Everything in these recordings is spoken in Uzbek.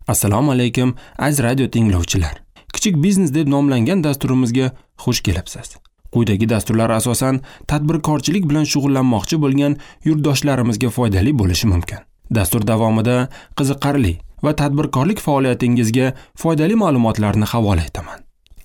Assalomu alaykum, aziz radio tinglovchilar. Kichik biznes deb nomlangan dasturimizga xush kelibsiz. Quyidagi dasturlar asosan tadbirkorchilik bilan shug'ullanmoqchi bo'lgan yurtdoshlarimizga foydali bo'lishi mumkin. Dastur davomida qiziqarli va tadbirkorlik faoliyatingizga foydali ma'lumotlarni havola etaman.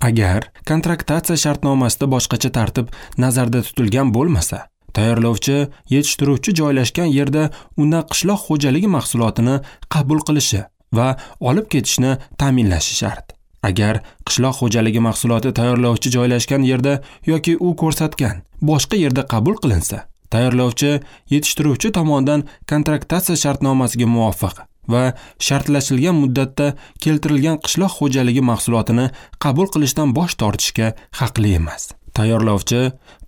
Agar kontraktatsiya shartnomasida boshqacha tartib nazarda tutilgan bo'lmasa, tayyorlovchi yetishtiruvchi joylashgan yerda undan qishloq xo'jaligi mahsulotini qabul qilishi va olib ketishni ta'minlashi shart. Agar qishloq xo'jaligi mahsuloti tayyorlovchi joylashgan yerda yoki u ko'rsatgan boshqa yerda qabul qilinsa, tayyorlovchi yetishtiruvchi tomonidan kontraktatsiya shartnomasiga muvofiq va shartlashilgan muddatda keltirilgan qishloq xo'jaligi mahsulotini qabul qilishdan bosh tortishga haqli emas. Tayyorlovchi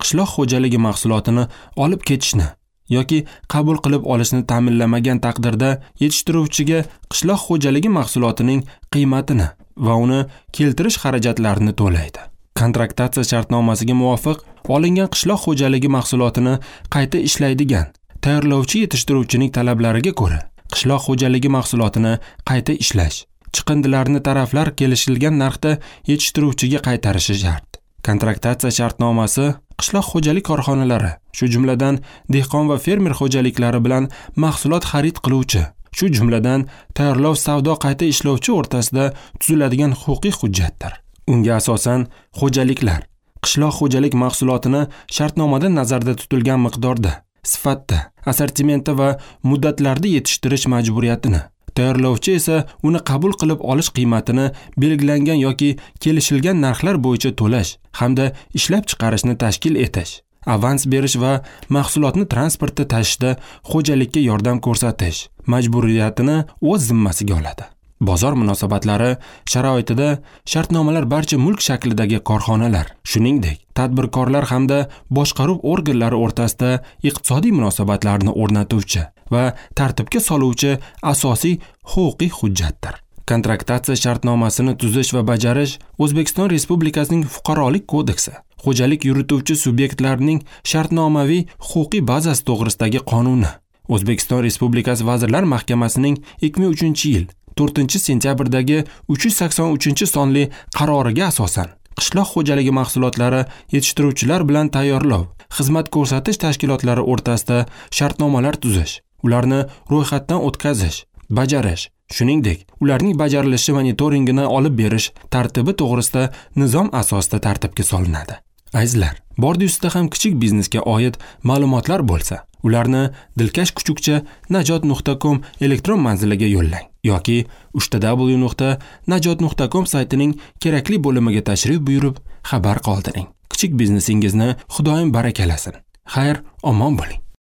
qishloq xo'jaligi mahsulotini olib ketishni yoki qabul qilib olishni ta'minlamagan taqdirda yetishtiruvchiga qishloq xo'jaligi mahsulotining qiymatini va uni keltirish xarajatlarini to'laydi. Kontraktatsiya shartnomasiga muvofiq olingan qishloq xo'jaligi mahsulotini qayta ishlaydigan tayyorlovchi yetishtiruvchining talablariga ko'ra qishloq xo'jaligi mahsulotini qayta ishlash, chiqindilarni taraflar kelishilgan narxda yetishtiruvchiga qaytarishi shart. Kontraktatsiya shartnomasi qishloq xo'jalik korxonalari, shu jumladan dehqon va fermer xo'jaliklari bilan mahsulot xarid qiluvchi, shu jumladan tayyorlov, savdo, qayta ishlovchi o'rtasida tuziladigan huquqiy hujjatdir. Unga asosan xo'jaliklar qishloq xo'jalik mahsulotini shartnomada nazarda tutilgan miqdorda, sifatda, assortimentda va muddatlarda yetishtirish majburiyatini, tayyorlovchi esa uni qabul qilib olish qiymatini belgilangan yoki kelishilgan narxlar bo'yicha to'lash hamda ishlab chiqarishni tashkil etish, avans berish va mahsulotni transportda tashishda xo'jalikka yordam ko'rsatish majburiyatini o'z zimmasiga oladi. Bozor munosabatlari sharoitida shartnomalar barcha mulk shaklidagi korxonalar, shuningdek, tadbirkorlar hamda boshqaruv organlari o'rtasida iqtisodiy munosabatlarni o'rnatuvchi va tartibga soluvchi asosiy huquqiy hujjatdir. Kontraktatsiya shartnomasini tuzish va bajarish O'zbekiston Respublikasining Fuqarolik kodeksi, xo'jalik yurituvchi subyektlarning shartnomaviy huquqiy bazasi to'g'risidagi qonuni, O'zbekiston Respublikasi Vazirlar Mahkamasining 2003-yil 4-sentyabrdagi 383-sonli qaroriga asosan qishloq xo'jaligi mahsulotlari yetishtiruvchilar bilan tayyorlov, xizmat ko'rsatish tashkilotlari o'rtasida shartnomalar tuzish, ularni ro'yxatdan o'tkazish, bajarish, shuningdek, ularning bajarilishi monitoringini olib berish tartibi to'g'risida nizom asosida tartibga solinadi. Azizlar, bordi-ustida ham kichik biznesga oid ma'lumotlar bo'lsa, ularni dilkash@najot.com elektron manziliga yo'llang yoki www.najot.com saytining kerakli bo'limiga tashrif buyurib xabar qoldiring. Kichik biznesingizni Xudoyim barakalasin. Xayr, omon bo'ling.